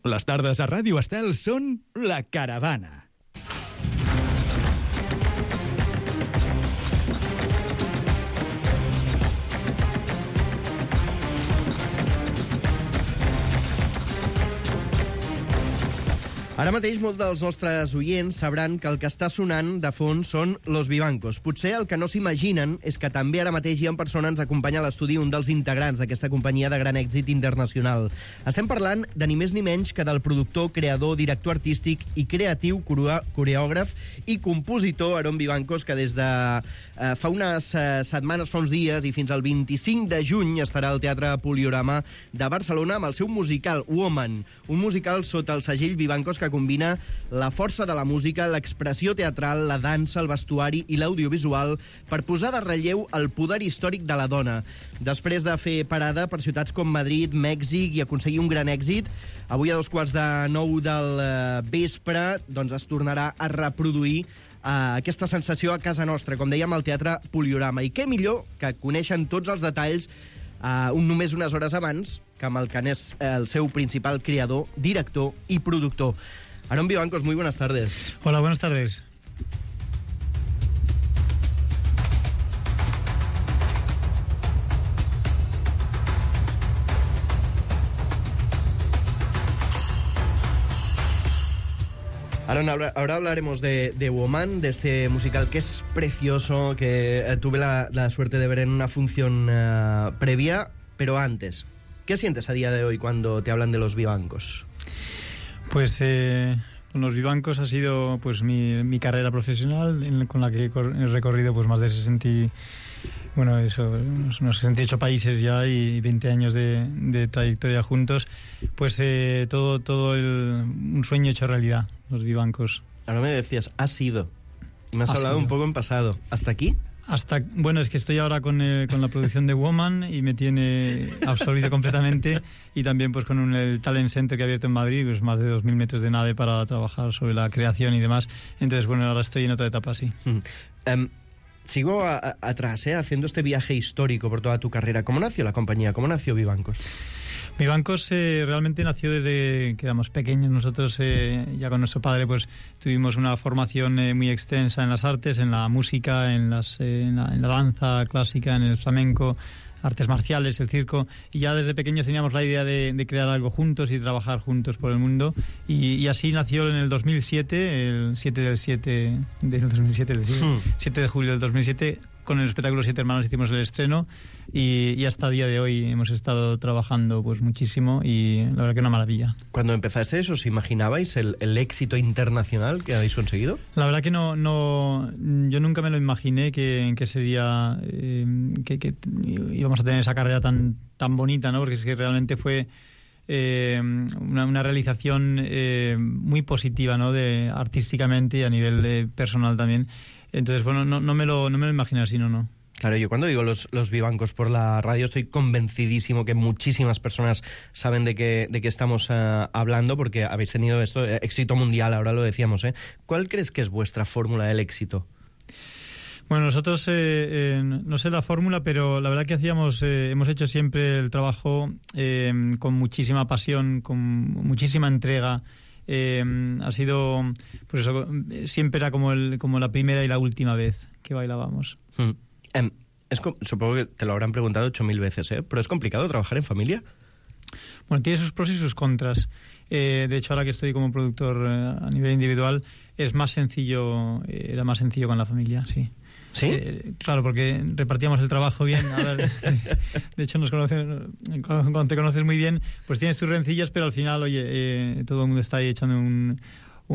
Les tardes a Ràdio Estel són La Caravana. Ara mateix molts dels nostres oients sabran que el que està sonant de fons són Los Vivancos. Potser el que no s'imaginen és que també ara mateix hi ha persona ens acompanya a l'estudi un dels integrants d'aquesta companyia de gran èxit internacional. Estem parlant de ni més ni menys que del productor, creador, director artístic i creatiu, coreògraf i compositor Aaron Vivancos, que des de fa unes setmanes, fa uns dies i fins al 25 de juny estarà al Teatre Poliorama de Barcelona amb el seu musical Woman, un musical sota el segell Vivancos que combina la força de la música, l'expressió teatral, la dansa, el vestuari i l'audiovisual per posar de relleu el poder històric de la dona. Després de fer parada per ciutats com Madrid, Mèxic i aconseguir un gran èxit, avui a 8:45 del vespre doncs es tornarà a reproduir aquesta sensació a casa nostra, com dèiem, al Teatre Poliorama. I què millor que coneixen tots els detalls només unes hores abans que amb el que és el seu principal creador, director i productor. Aaron Vivancos, muy buenas tardes. Hola, buenas tardes. Aaron, ahora hablaremos de Woman, de este musical que es precioso, que tuve la suerte de ver en una función previa, pero antes, ¿qué sientes a día de hoy cuando te hablan de Los Vivancos? Pues con Los Vivancos ha sido pues mi carrera profesional, con la que he recorrido pues más de 68 países ya y 20 años de trayectoria juntos. Pues un sueño hecho realidad, Los Vivancos. Ahora me decías, has sido. Me has hablado un poco en pasado. ¿Hasta aquí? Bueno, es que estoy ahora con la producción de Woman y me tiene absorbido completamente, y también pues con el Talent Center que ha abierto en Madrid, pues más de 2.000 metros de nave para trabajar sobre la creación y demás. Entonces, bueno, ahora estoy en otra etapa, sí. Sigo atrás, haciendo este viaje histórico por toda tu carrera. ¿Cómo nació la compañía? ¿Cómo nació Vivancos? Vivancos realmente nació desde que éramos pequeños. Nosotros ya con nuestro padre pues tuvimos una formación muy extensa en las artes, en la música, en la danza clásica, en el flamenco, artes marciales, el circo, y ya desde pequeños teníamos la idea de crear algo juntos y trabajar juntos por el mundo, y así nació en el 2007, el 7 de julio del 2007, con el espectáculo Siete Hermanos hicimos el estreno, y hasta el día de hoy hemos estado trabajando pues muchísimo, y la verdad que una maravilla. Cuando empezasteis, ¿os imaginabais el éxito internacional que habéis conseguido? La verdad que no, yo nunca me lo imaginé que sería que íbamos a tener esa carrera tan bonita, ¿no? Porque es que realmente fue una realización muy positiva, ¿no? Artísticamente y a nivel personal también. Entonces, bueno, no me lo imaginé así, no. Claro, yo cuando digo los Vivancos por la radio estoy convencidísimo que muchísimas personas saben de qué estamos hablando, porque habéis tenido éxito mundial, ahora lo decíamos. ¿Cuál crees que es vuestra fórmula del éxito? Bueno, nosotros, no sé la fórmula, pero la verdad que hemos hecho siempre el trabajo con muchísima pasión, con muchísima entrega. Ha sido, pues eso, siempre era como la primera y la última vez que bailábamos. Supongo que te lo habrán preguntado 8.000 veces, pero ¿es complicado trabajar en familia? Bueno, tiene sus pros y sus contras. De hecho, ahora que estoy como productor a nivel individual, era más sencillo con la familia, sí. ¿Sí? Claro, porque repartíamos el trabajo bien. Ahora, de hecho, cuando te conoces muy bien, pues tienes tus rencillas, pero al final, oye, todo el mundo está ahí echando un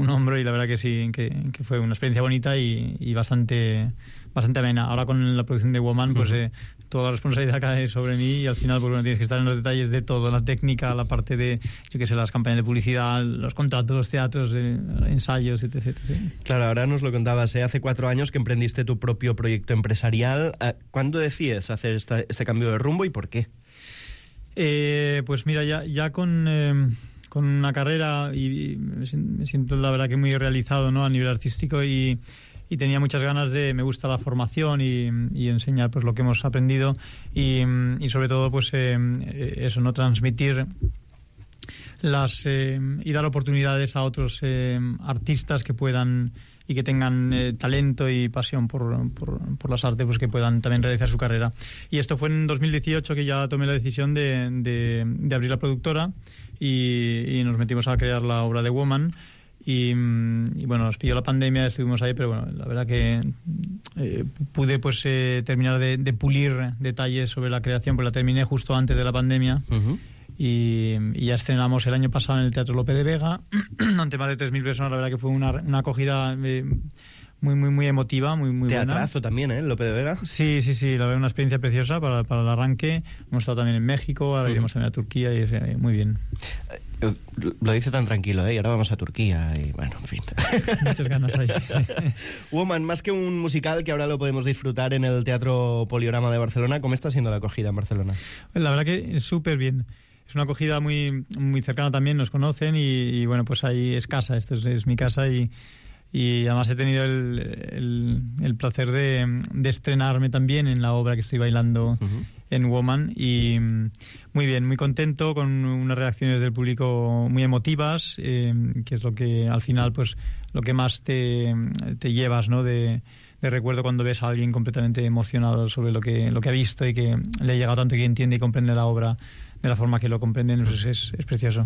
hombro, y la verdad que sí, que fue una experiencia bonita y bastante amena. Ahora con la producción de Woman, pues toda la responsabilidad cae sobre mí, y al final pues bueno, tienes que estar en los detalles de todo, la técnica, la parte de, yo qué sé, las campañas de publicidad, los contratos, los teatros, ensayos, etc. Claro, ahora nos lo contabas, hace 4 años que emprendiste tu propio proyecto empresarial. ¿Cuándo decides hacer este cambio de rumbo y por qué? Pues mira, ya con una carrera, y me siento la verdad que muy realizado, ¿no? A nivel artístico, y tenía muchas ganas me gusta la formación y enseñar pues lo que hemos aprendido, y sobre todo pues eso, no transmitir y dar oportunidades a otros artistas que puedan y que tengan talento y pasión por las artes, pues que puedan también realizar su carrera. Y esto fue en 2018 que ya tomé la decisión de abrir la productora y nos metimos a crear la obra de Woman. Y bueno, nos pilló la pandemia, estuvimos ahí, pero bueno, la verdad que pude pues terminar de pulir detalles sobre la creación, pues la terminé justo antes de la pandemia. Uh-huh. Y ya estrenamos el año pasado en el Teatro Lope de Vega ante más de 3.000 personas. La verdad que fue una acogida muy emotiva, muy buena. Teatrazo también, ¿eh? Lope de Vega. Sí, la verdad, una experiencia preciosa para el arranque. Hemos estado también en México, ahora iremos también a Turquía y muy bien. Lo dice tan tranquilo, ¿eh? Y ahora vamos a Turquía y bueno, en fin. Muchas ganas ahí. Woman, más que un musical que ahora lo podemos disfrutar en el Teatro Poliorama de Barcelona, ¿cómo está siendo la acogida en Barcelona? La verdad que súper bien. Es una acogida muy cercana también, nos conocen y bueno, pues ahí es casa, esto es mi casa y además he tenido el placer de estrenarme también en la obra que estoy bailando en Woman y muy bien, muy contento con unas reacciones del público muy emotivas, que es lo que al final pues lo que más te llevas, ¿no? de recuerdo cuando ves a alguien completamente emocionado sobre lo que ha visto y que le ha llegado tanto y que entiende y comprende la obra de la forma que lo comprenden, pues es precioso.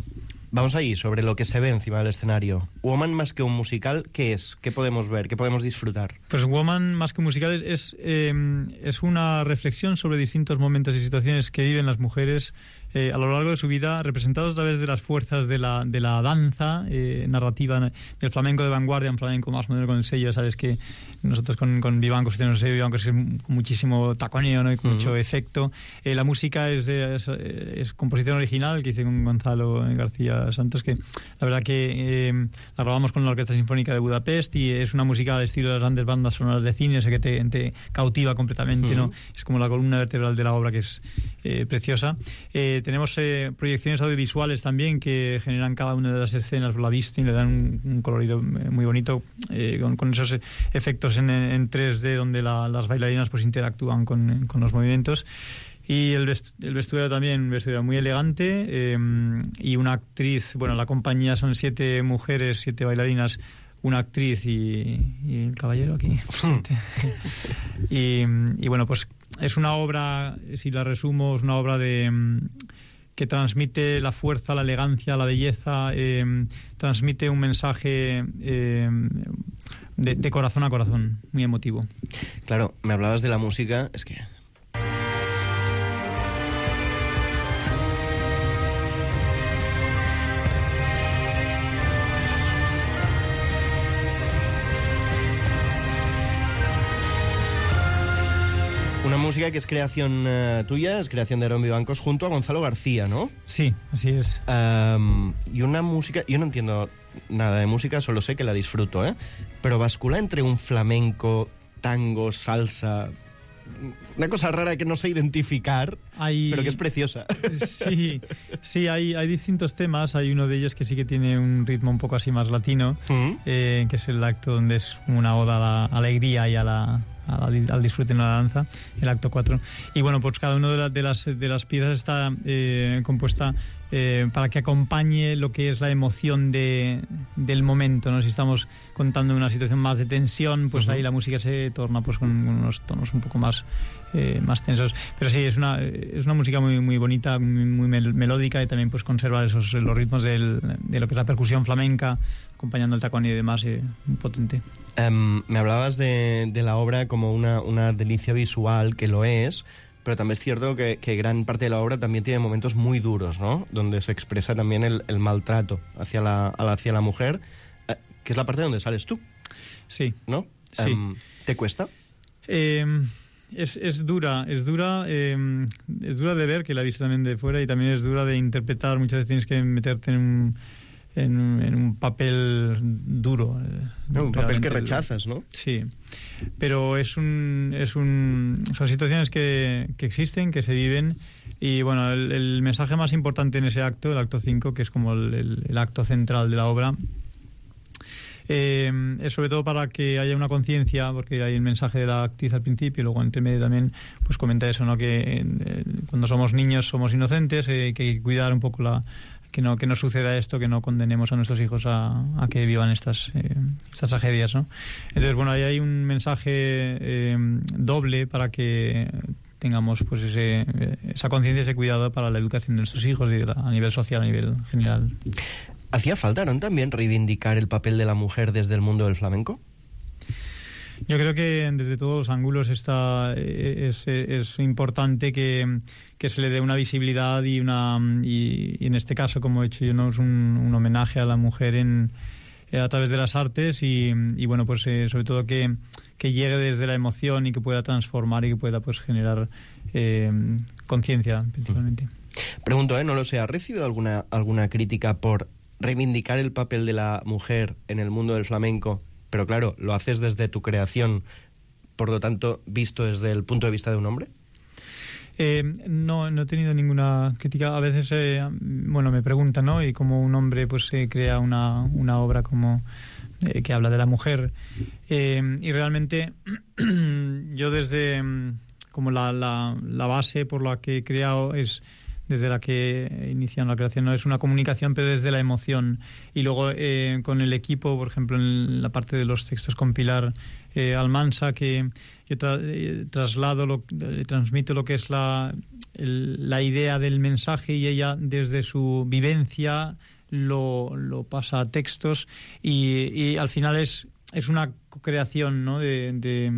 Vamos ahí, sobre lo que se ve encima del escenario. Woman, más que un musical, ¿qué es? ¿Qué podemos ver? ¿Qué podemos disfrutar? Pues Woman, más que un musical, es una reflexión sobre distintos momentos y situaciones que viven las mujeres a lo largo de su vida, representados a través de las fuerzas de la danza narrativa del flamenco de vanguardia, un flamenco más moderno con el sello. Sabes que nosotros con Vivancos tenemos el sello Vivancos, es con muchísimo taconeo, ¿no? Y con mucho efecto. La música es composición original que hice con Gonzalo García Santos, que la verdad que la grabamos con la Orquesta Sinfónica de Budapest y es una música al estilo de las grandes bandas sonoras de cine, ese que te cautiva completamente, ¿no? Es como la columna vertebral de la obra, que es preciosa. Tenemos proyecciones audiovisuales también que generan cada una de las escenas, la vista y le dan un colorido muy bonito, con esos efectos en 3D donde las bailarinas pues interactúan con los movimientos. Y el vestuario también, un vestuario muy elegante, y una actriz, bueno, la compañía son 7 mujeres, 7 bailarinas, una actriz y el caballero aquí. y bueno, pues es una obra, si la resumo, es una obra que transmite la fuerza, la elegancia, la belleza, transmite un mensaje de corazón a corazón, muy emotivo. Claro, me hablabas de la música, es que... Una música que es creación tuya, es creación de Aaron Vivancos junto a Gonzalo García, ¿no? Sí, así es. Y una música... Yo no entiendo nada de música, solo sé que la disfruto, ¿eh? Pero bascula entre un flamenco, tango, salsa... Una cosa rara que no sé identificar, pero que es preciosa. Sí, hay distintos temas. Hay uno de ellos que sí que tiene un ritmo un poco así más latino, que es el acto donde es una oda a la alegría y al disfrute en la danza, el acto 4. Y bueno, pues cada una de las piezas está compuesta para que acompañe lo que es la emoción del momento, ¿no? Si estamos contando una situación más de tensión, pues ahí la música se torna pues con unos tonos un poco más tensos. Pero sí, es una música muy bonita, muy melódica, y también pues conserva los ritmos de lo que es la percusión flamenca, acompañando el tacón y demás, muy potente. Me hablabas de la obra como una delicia visual, que lo es, pero también es cierto que gran parte de la obra también tiene momentos muy duros, ¿no? Donde se expresa también el maltrato hacia la mujer, que es la parte donde sales tú. Sí. ¿No? Sí. ¿Te cuesta? Es dura de ver, que la he visto también de fuera, y también es dura de interpretar. Muchas veces tienes que meterte en un papel duro. Un papel que rechazas, ¿no? Sí, pero son situaciones que existen, que se viven, y bueno, el mensaje más importante en ese acto, el acto 5, que es como el acto central de la obra, es sobre todo para que haya una conciencia, porque hay el mensaje de la actriz al principio y luego entre medio también pues comenta eso, ¿no? Que cuando somos niños somos inocentes, que hay que cuidar un poco no suceda esto, que no condenemos a nuestros hijos a que vivan estas tragedias, ¿no? Entonces, bueno, ahí hay un mensaje doble para que tengamos pues esa conciencia, ese cuidado para la educación de nuestros hijos y a nivel social, a nivel general. ¿Hacía falta, ¿no?, también reivindicar el papel de la mujer desde el mundo del flamenco? Yo creo que desde todos los ángulos es importante que se le dé una visibilidad y en este caso, como he hecho yo, ¿no?, es un homenaje a la mujer a través de las artes y bueno, pues sobre todo que llegue desde la emoción y que pueda transformar y que pueda pues generar conciencia principalmente. Pregunto, no lo sé, ¿has recibido alguna crítica por reivindicar el papel de la mujer en el mundo del flamenco? Pero claro, lo haces desde tu creación, por lo tanto, visto desde el punto de vista de un hombre. No he tenido ninguna crítica. A veces, me preguntan, ¿no? Y como un hombre pues crea una obra como que habla de la mujer. Y realmente yo desde como la base por la que he creado es desde la que inician la creación, no es una comunicación, pero desde la emoción. Y luego con el equipo, por ejemplo, en la parte de los textos con Pilar Almansa, que yo transmito lo que es la idea del mensaje y ella desde su vivencia lo pasa a textos y al final es una creación, ¿no?, de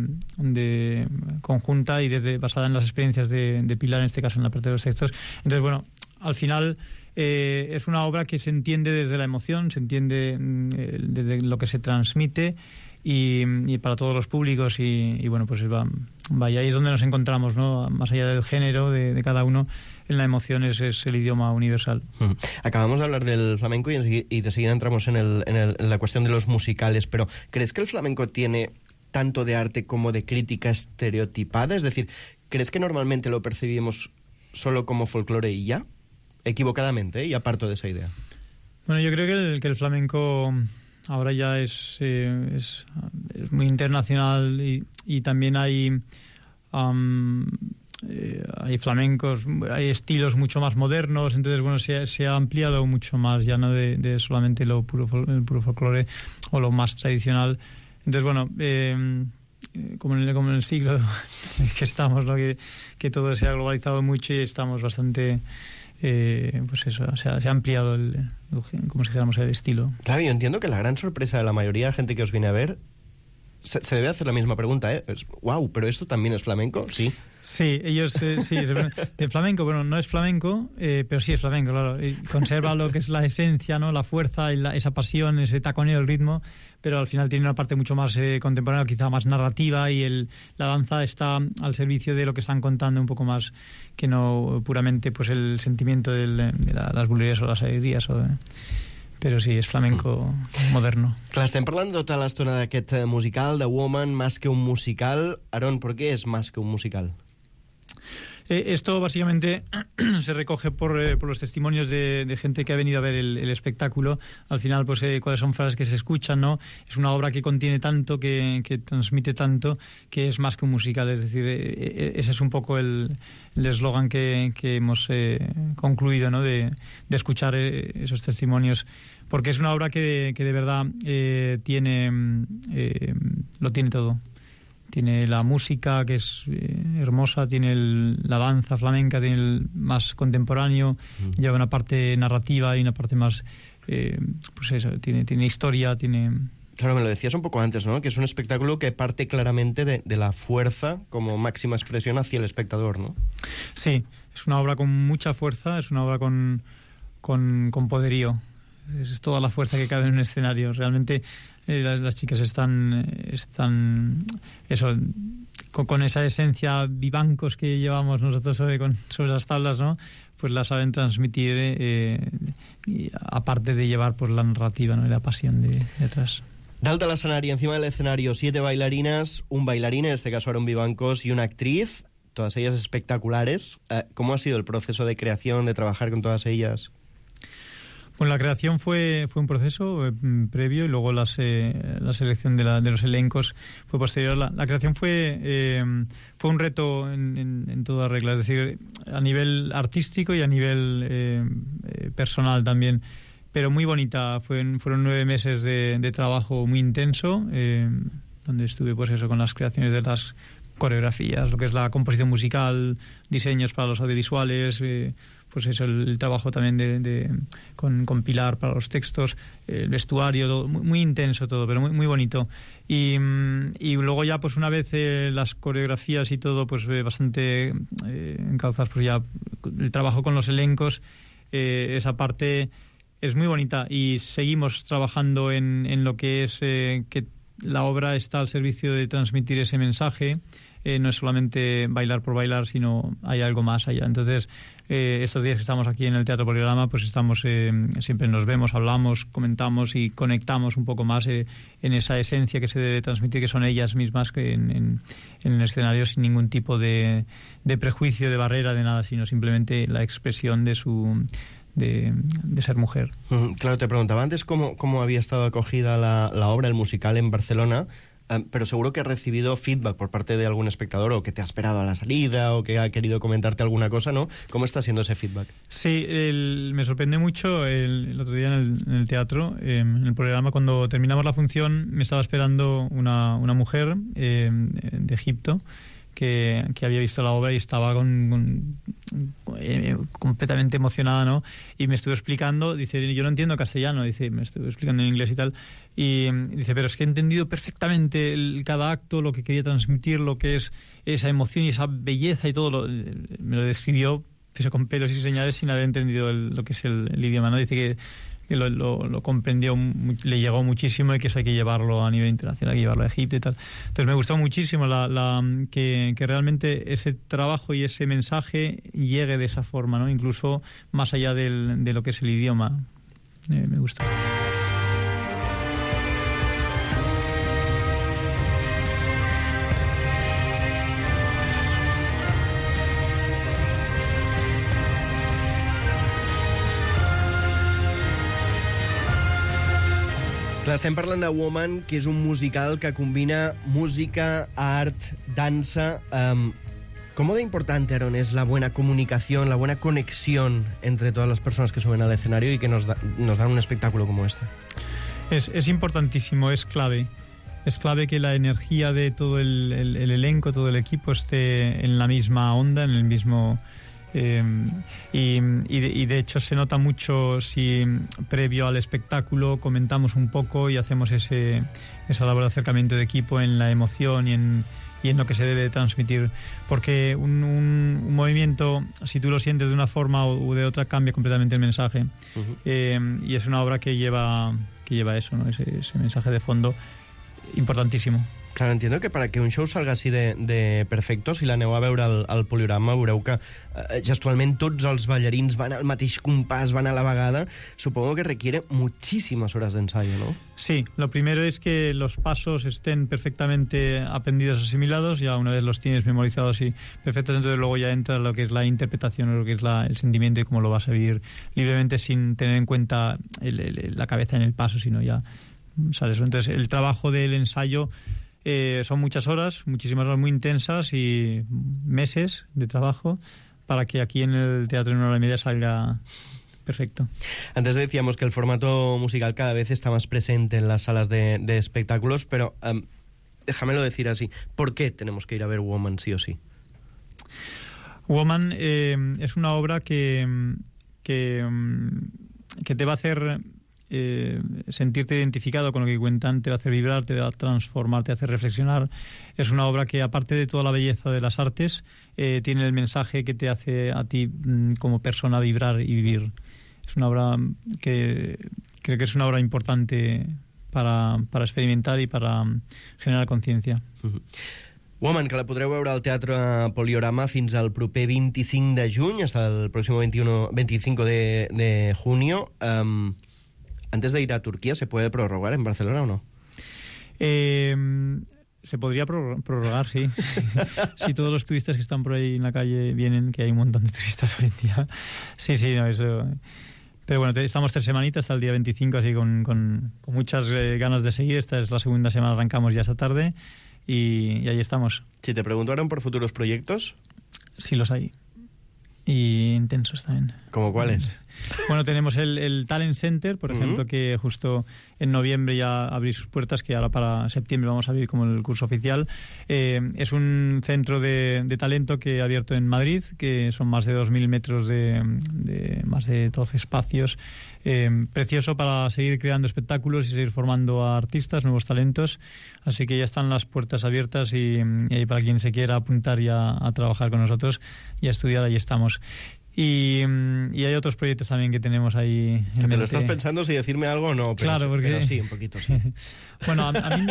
conjunta y basada en las experiencias de Pilar, en este caso en la parte de los textos. Entonces, bueno, al final es una obra que se entiende desde la emoción, se entiende desde lo que se transmite y para todos los públicos y bueno, pues vaya, ahí es donde nos encontramos, ¿no?, más allá del género de cada uno. En la emoción es el idioma universal. Acabamos de hablar del flamenco y de seguida entramos en la cuestión de los musicales, pero ¿crees que el flamenco tiene tanto de arte como de crítica estereotipada? Es decir, ¿crees que normalmente lo percibimos solo como folclore y ya? Equivocadamente, y aparto de esa idea. Bueno, yo creo que el flamenco ahora ya es muy internacional y también hay flamencos, hay estilos mucho más modernos, entonces bueno, se ha ampliado mucho más, ya no de solamente el puro folclore o lo más tradicional. Entonces bueno, como en el siglo que estamos, ¿no?, que todo se ha globalizado mucho y estamos bastante pues eso, se ha ampliado como si dijéramos el estilo. Claro, yo entiendo que la gran sorpresa de la mayoría de gente que os viene a ver se debe hacer la misma pregunta, wow, pero esto también es flamenco, sí. Sí, ellos sí, de flamenco, bueno, no es flamenco, pero sí es flamenco, claro. Conserva lo que es la esencia, ¿no?, la fuerza, esa pasión, ese taconeo, el ritmo, pero al final tiene una parte mucho más contemporánea, quizá más narrativa, y la danza está al servicio de lo que están contando un poco más que no puramente pues el sentimiento de las bulerías o las alegrías però sí, és flamenco moderno. Clar, estem parlant tota l'estona d'aquest musical, de Woman, Más que un musical. Aarón, ¿por qué es más que un musical? Esto básicamente se recoge por los testimonios de gente que ha venido a ver el espectáculo. Al final, pues cuáles son frases que se escuchan, ¿no? Es una obra que contiene tanto, que transmite tanto, que es más que un musical. Es decir, ese es un poco el eslogan que hemos concluido, ¿no?, de escuchar esos testimonios. Porque es una obra que de verdad lo tiene todo. Tiene la música, que es hermosa, tiene la danza flamenca, tiene el más contemporáneo, lleva una parte narrativa y una parte más, pues eso, tiene historia, tiene... Claro, me lo decías un poco antes, ¿no?, que es un espectáculo que parte claramente de la fuerza como máxima expresión hacia el espectador, ¿no? Sí, es una obra con mucha fuerza, es una obra con poderío. Es toda la fuerza que cabe en un escenario. Realmente las chicas están eso, con esa esencia vivancos que llevamos nosotros sobre las tablas, ¿no?, pues la saben transmitir, aparte de llevar pues la narrativa, ¿no?, y la pasión detrás. Dalt de l'escenari, encima del escenario, 7 bailarinas, un bailarín, en este caso Aarón Vivancos, y una actriz, todas ellas espectaculares. ¿Cómo ha sido el proceso de creación, de trabajar con todas ellas? Bueno, la creación fue un proceso previo y luego la selección de los elencos fue posterior. La creación fue un reto en toda regla, es decir, a nivel artístico y a nivel personal también, pero muy bonita. Fueron 9 meses de trabajo muy intenso, donde estuve pues eso, con las creaciones de las coreografías, lo que es la composición musical, diseños para los audiovisuales, pues eso, el trabajo también con Pilar para los textos, el vestuario, todo, muy intenso todo, pero muy bonito. Y luego ya pues una vez las coreografías y todo pues bastante encauzadas, pues ya el trabajo con los elencos, esa parte es muy bonita, y seguimos trabajando en lo que es que la obra está al servicio de transmitir ese mensaje. No es solamente bailar por bailar, sino hay algo más allá. Entonces, estos días que estamos aquí en el Teatro Poliorama, pues estamos, siempre nos vemos, hablamos, comentamos y conectamos un poco más en esa esencia que se debe transmitir, que son ellas mismas que en el escenario, sin ningún tipo de prejuicio, de barrera, de nada, sino simplemente la expresión de ser mujer. Claro, te preguntaba antes cómo había estado acogida la obra, el musical en Barcelona, pero seguro que has recibido feedback por parte de algún espectador, o que te ha esperado a la salida, o que ha querido comentarte alguna cosa, ¿no? ¿Cómo está siendo ese feedback? Sí, me sorprendió mucho el otro día en el teatro, en el programa, cuando terminamos la función, me estaba esperando una mujer de Egipto, que había visto la obra y estaba completamente emocionada, ¿no? Y me estuvo explicando, dice, yo no entiendo castellano, dice, me estuvo explicando en inglés y tal, y dice, pero es que he entendido perfectamente cada acto, lo que quería transmitir, lo que es esa emoción y esa belleza y todo, me lo describió, pero con pelos y señales, sin haber entendido lo que es el idioma, ¿no? Dice que lo comprendió, le llegó muchísimo, y que eso hay que llevarlo a nivel internacional, hay que llevarlo a Egipto y tal. Entonces me gustó muchísimo que realmente ese trabajo y ese mensaje llegue de esa forma, ¿no? Incluso más allá de lo que es el idioma. Me gustó. Clar, estem parlant de Woman, que és un musical que combina música, art, dansa. ¿Cómo de importante, Aaron, es la buena comunicación, la buena conexión entre todas las personas que suben al escenario y que nos dan un espectáculo como este? Es importantísimo, es clave. Es clave que la energía de todo el elenco, todo el equipo esté en la misma onda, en el mismo... y de hecho se nota mucho si previo al espectáculo comentamos un poco y hacemos esa labor de acercamiento de equipo en la emoción y en lo que se debe transmitir, porque un movimiento, si tú lo sientes de una forma o de otra, cambia completamente el mensaje. Y es una obra que lleva eso, ¿no? ese mensaje de fondo importantísimo. Claro, entiendo que para que un show salga així de perfecto, si l'aneu a veure al Poliorama, veureu que gestualment tots els ballarins van al mateix compàs, van a la vegada. Supongo que requiere muchísimas horas de ensayo, ¿no? Sí, lo primero es que los pasos estén perfectamente aprendidos, asimilados, ya una vez los tienes memorizados y perfectos, entonces luego ya entra lo que es la interpretación, lo que es el sentimiento y cómo lo vas a vivir libremente sin tener en cuenta la cabeza en el paso, sino ya sales. Entonces el trabajo del ensayo son muchas horas, muchísimas horas muy intensas y meses de trabajo para que aquí en el teatro en 1 hora y media salga perfecto. Antes decíamos que el formato musical cada vez está más presente en las salas de espectáculos, pero déjamelo decir así, ¿por qué tenemos que ir a ver Woman sí o sí? Woman es una obra que te va a hacer sentirte identificado con lo que cuentan, te va a hacer vibrar, te va a transformar, te hace reflexionar. Es una obra que, aparte de toda la belleza de las artes, tiene el mensaje que te hace a ti como persona vibrar y vivir. Es una obra que creo que es una obra importante para experimentar y para generar conciencia. Woman, que la podreu veure al Teatre Poliorama fins al proper 25 de juny, hasta el próximo 25 de junio. Antes de ir a Turquía, ¿se puede prorrogar en Barcelona o no? Se podría prorrogar, sí. Si todos los turistas que están por ahí en la calle vienen, que hay un montón de turistas hoy en día. Sí, no, eso... Pero bueno, estamos 3 semanitas hasta el día 25, así con muchas ganas de seguir. Esta es la segunda semana, arrancamos ya esta tarde y ahí estamos. Si te preguntaran por futuros proyectos... Sí los hay. Y intensos también. ¿Cómo cuáles? Bueno, tenemos el Talent Center, por ejemplo, que justo en noviembre ya abrir sus puertas, que ahora para septiembre vamos a abrir como el curso oficial. Es un centro de talento que ha abierto en Madrid, que son más de 2.000 metros de más de 12 espacios. Precioso para seguir creando espectáculos y seguir formando a artistas, nuevos talentos. Así que ya están las puertas abiertas y para quien se quiera apuntar ya a trabajar con nosotros y a estudiar, ahí estamos. Y hay otros proyectos también que tenemos ahí. Que te lo estás pensando si decirme algo o no. Pero claro, porque... Pero sí, un poquito, sí. Bueno, a mí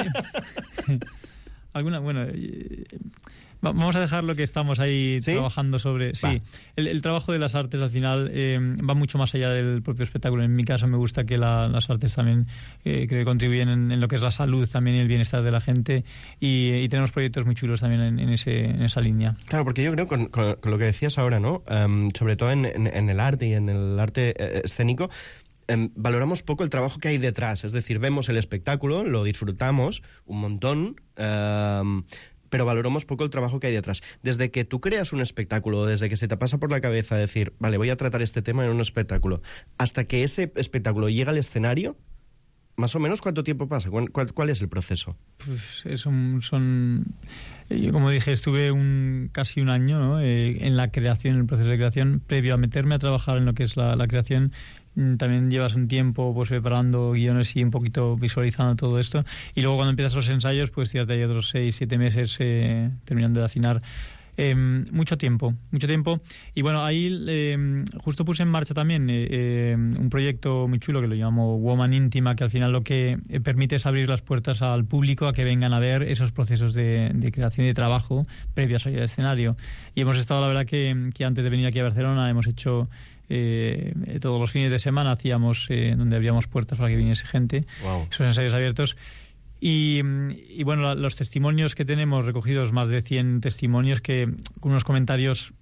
vamos a dejar lo que estamos ahí trabajando sobre... Sí, el trabajo de las artes al final va mucho más allá del propio espectáculo. En mi caso me gusta que las artes también creo que contribuyen en lo que es la salud también y el bienestar de la gente y tenemos proyectos muy chulos también en esa línea. Claro, porque yo creo con lo que decías ahora, ¿no? Sobre todo en el arte y en el arte escénico, valoramos poco el trabajo que hay detrás. Es decir, vemos el espectáculo, lo disfrutamos un montón... pero valoramos poco el trabajo que hay detrás. Desde que tú creas un espectáculo, desde que se te pasa por la cabeza decir, vale, voy a tratar este tema en un espectáculo, hasta que ese espectáculo llega al escenario, ¿más o menos cuánto tiempo pasa? ¿Cuál es el proceso? Pues yo, como dije, estuve casi un año, ¿no? En la creación, en el proceso de creación, previo a meterme a trabajar en lo que es la creación. También llevas un tiempo pues preparando guiones y un poquito visualizando todo esto, y luego cuando empiezas los ensayos pues tírate ahí otros 6-7 meses terminando de afinar. Mucho tiempo y bueno, ahí justo puse en marcha también un proyecto muy chulo que lo llamo Woman Íntima, que al final lo que permite es abrir las puertas al público a que vengan a ver esos procesos de creación y de trabajo previos al escenario. Y hemos estado, la verdad, que antes de venir aquí a Barcelona hemos hecho todos los fines de semana hacíamos donde abríamos puertas para que viniese gente. Wow. Esos ensayos abiertos. Y bueno, los testimonios que tenemos recogidos, más de 100 testimonios, que con unos comentarios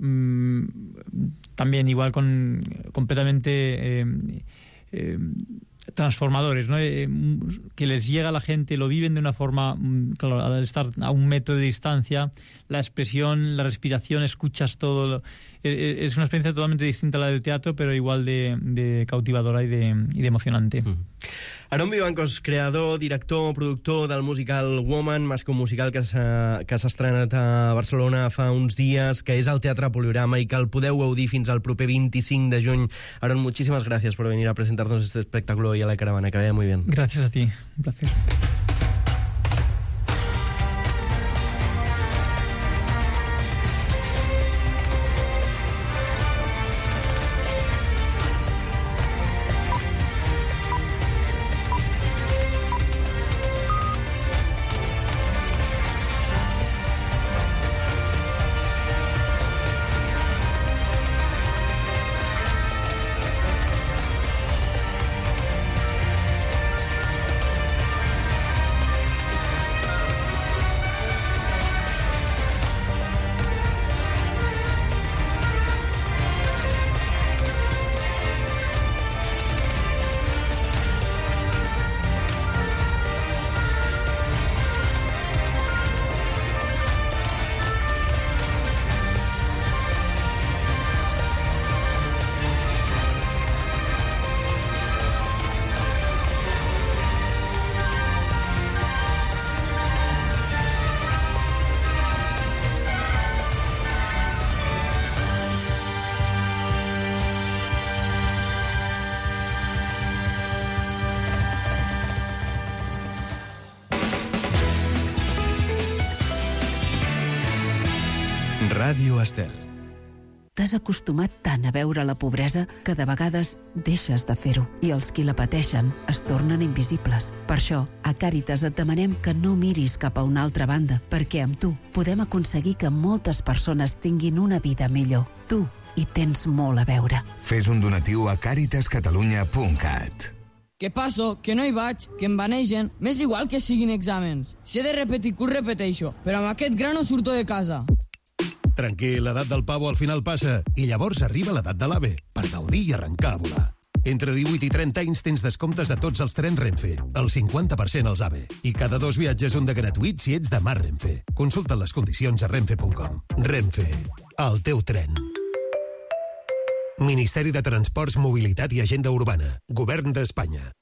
también igual completamente transformadores, ¿no? Que les llega a la gente, lo viven de una forma, claro, al estar a 1 metro de distancia, la expresión, la respiración, escuchas todo. Es una experiencia totalmente distinta a la del teatro, pero igual de cautivadora y de emocionante. Aaron Vivancos, creador, director, productor del musical Woman, mascle musical que s'ha estrenat a Barcelona fa uns dies, que és al Teatre Poliorama i que el podeu gaudir fins al proper 25 de juny. Aaron, muchísimas gracias por venir a presentarnos este espectáculo y a la caravana. Que vaya muy bien. Gracias a ti, un placer. Ràdio Estel. T'has acostumat tant a veure la pobresa que de vegades deixes de fer-ho i els qui la pateixen es tornen invisibles. Per això, a Càritas et demanem que no miris cap a una altra banda, perquè amb tu podem aconseguir que moltes persones tinguin una vida millor. Tu hi tens molt a veure. Fes un donatiu a caritascatalunya.cat. Que passo, que no hi vaig, que em banegen, m'és igual que siguin exàmens. Si he de repetir curs, repeteixo, però amb aquest gra no surto de casa. Tranquil, l'edat del pavo al final passa i llavors arriba l'edat de l'AVE per gaudir i arrencar a volar. Entre 18 i 30 anys tens descomptes a tots els trens Renfe, el 50% als AVE. I cada 2 viatges un de gratuït si ets de Mar Renfe. Consulta les condicions a renfe.com. Renfe, el teu tren. Ministeri de Transports, Mobilitat i Agenda Urbana. Govern d'Espanya.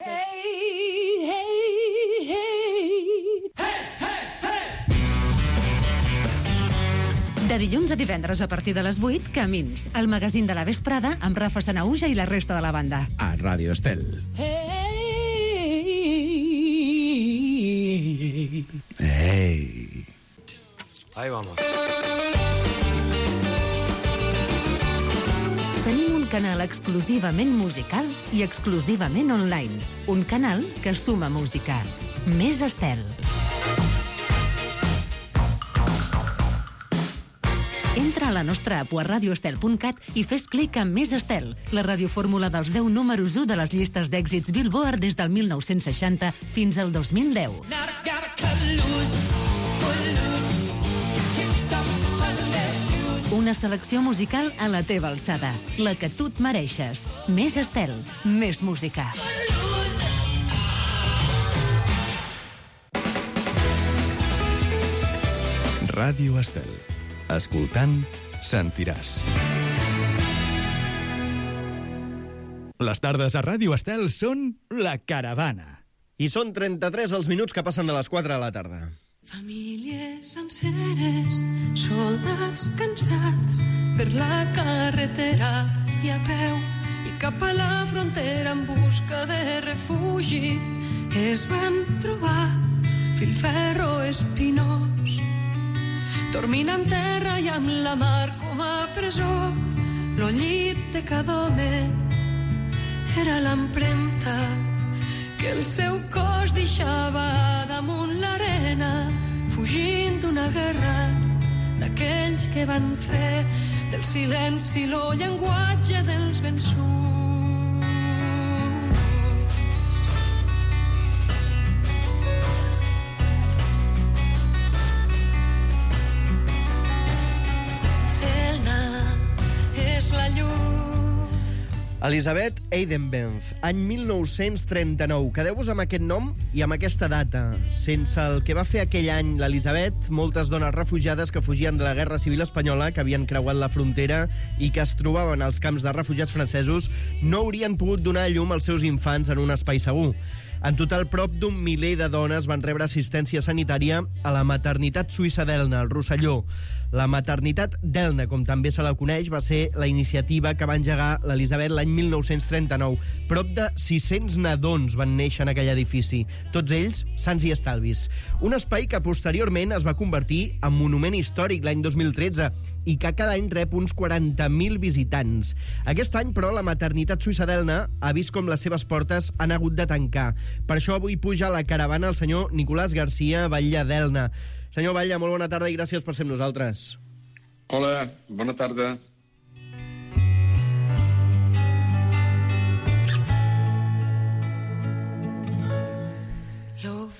De dilluns a divendres a partir de les 8, Camins, el magazín de la vesprada amb Rafa Sanauja i la resta de la banda. A Ràdio Estel. Hey. Ahí vamos. Tenim un canal exclusivament musical i exclusivament online. Un canal que suma música. Més Estel. Entra a la nostra app a radioestel.cat i fes clic en Més Estel, la radiofórmula dels 10 números 1 de les llistes d'èxits Billboard des del 1960 fins al 2010. Una selecció musical a la teva alçada, la que tu et mereixes. Més Estel, més música. Ràdio Estel. Escoltant, sentiràs. Les tardes a Ràdio Estel són La Caravana. I són 33 els minuts que passen de les 4 de la tarda. Famílies senceres, soldats cansats per la carretera i a peu i cap a la frontera en busca de refugi es van trobar filferro espinós dormint en terra i amb la mar com a presó. Lo llit de cada home era l'empremta que el seu cos deixava damunt l'arena, fugint d'una guerra d'aquells que van fer del silenci lo llenguatge dels vençuts. Elisabeth Eidenbenz, any 1939. Quedeu-vos amb aquest nom i amb aquesta data. Sense el que va fer aquell any l'Elisabeth, moltes dones refugiades que fugien de la Guerra Civil Espanyola, que havien creuat la frontera i que es trobaven als camps de refugiats francesos, no haurien pogut donar a llum als seus infants en un espai segur. En total, prop d'un miler de dones van rebre assistència sanitària a la maternitat suïssa d'Elna, al Rosselló. La maternitat d'Elna, com també se la coneix, va ser la iniciativa que va engegar l'Elisabet l'any 1939. Prop de 600 nadons van néixer en aquell edifici, tots ells sans i estalvis. Un espai que posteriorment es va convertir en monument històric l'any 2013 i que cada any rep uns 40.000 visitants. Aquest any, però, la maternitat suïssa d'Elna ha vist com les seves portes han hagut de tancar. Per això avui puja a la caravana el senyor Nicolás García Batlle d'Elna. Senyor Batlle, molt bona tarda i gràcies per ser amb nosaltres. Hola, bona tarda.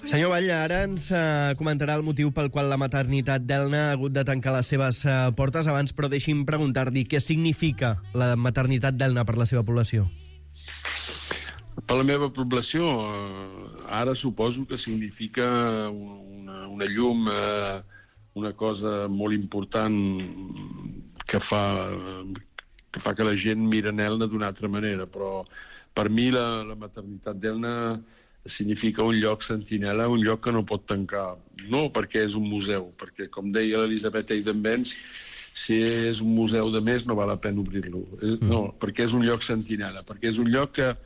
Senyor Batlle, ara ens comentarà el motiu pel qual la maternitat d'Elna ha hagut de tancar les seves portes. Abans, però, deixi'm preguntar-li què significa la maternitat d'Elna per la seva població. Per la meva població, ara suposo que significa una llum, una cosa molt important que fa que la gent mira en Elna d'una altra manera. Però per mi la maternitat d'Elna significa un lloc sentinela, un lloc que no pot tancar. No perquè és un museu, perquè, com deia l'Elisabeth Eidenbenz, si és un museu de més no val la pena obrir-lo. No, perquè és un lloc sentinela, perquè és un lloc que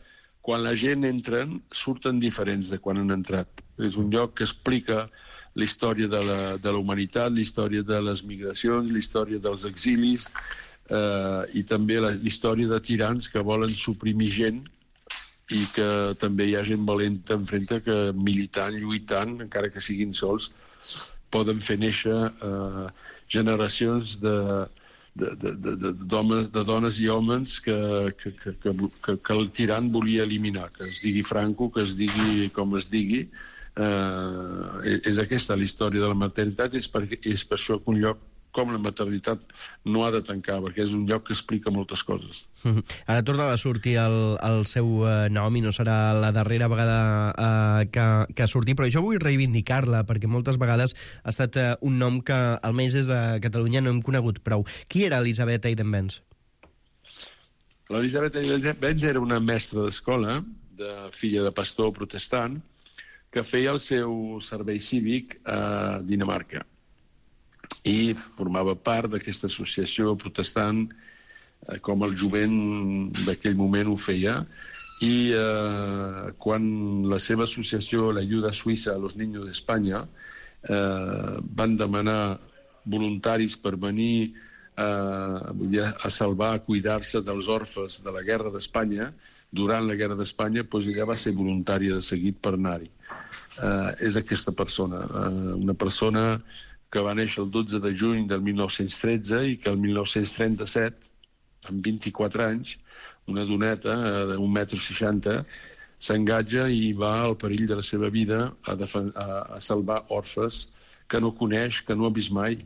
quan la gent entra, surten diferents de quan han entrat. És un lloc que explica la història de la humanitat, la història de les migracions, la història dels exilis i també la història de tirans que volen suprimir gent i que també hi ha gent valenta enfrente que militant, lluitant, encara que siguin sols, poden fer néixer generacions de dones i homes que el tirant volia eliminar, que es digui Franco, que es digui com es digui. És aquesta la història de la maternitat, és per això que un lloc com la maternitat no ha de tancar, perquè és un lloc que explica moltes coses. Ara tornava a sortir el seu nom i no serà la darrera vegada que surti, però jo vull reivindicar-la, perquè moltes vegades ha estat un nom que almenys des de Catalunya no hem conegut prou. Qui era Elisabet Eidenbenz? L'Elisabet Eidenbenz era una mestra d'escola, filla de pastor protestant, que feia el seu servei cívic a Dinamarca. I formava part d'aquesta associació protestant, com el jovent d'aquell moment ho feia, i quan la seva associació, l'Ayuda Suïssa a los Niños d'Espanya, van demanar voluntaris per venir a salvar, a cuidar-se dels orfes de la guerra d'Espanya, durant la guerra d'Espanya, doncs ella va ser voluntària de seguit per anar-hi. És aquesta persona, una persona que va néixer el 12 de juny del 1913 i que el 1937, amb 24 anys, una doneta d'1,60 m, s'engatja i va al perill de la seva vida a salvar orfes que no coneix, que no ha vist mai,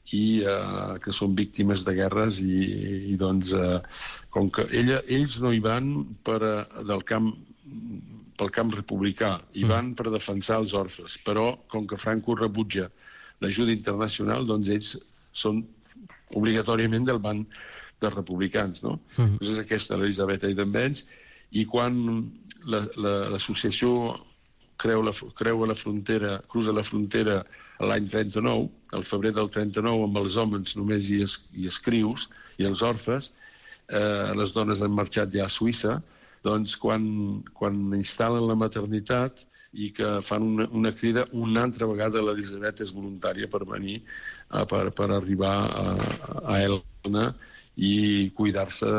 i que són víctimes de guerres, i doncs, com que ells no hi van pel camp republicà, hi van per defensar els orfes, però com que Franco rebutja l'ajuda internacional, doncs ells són obligatòriament del banc dels republicans, no? Doncs és aquesta l'Elisabet Eidenbenz, i quan l'associació cruza la frontera l'any 39, al febrer del 39, amb els homes només hi escrius, i els orfes, les dones han marxat ja a Suïssa, doncs quan instal·len la maternitat i que fan una crida, una altra vegada l'Elisabet és voluntària per venir, per arribar a Elna i cuidar-se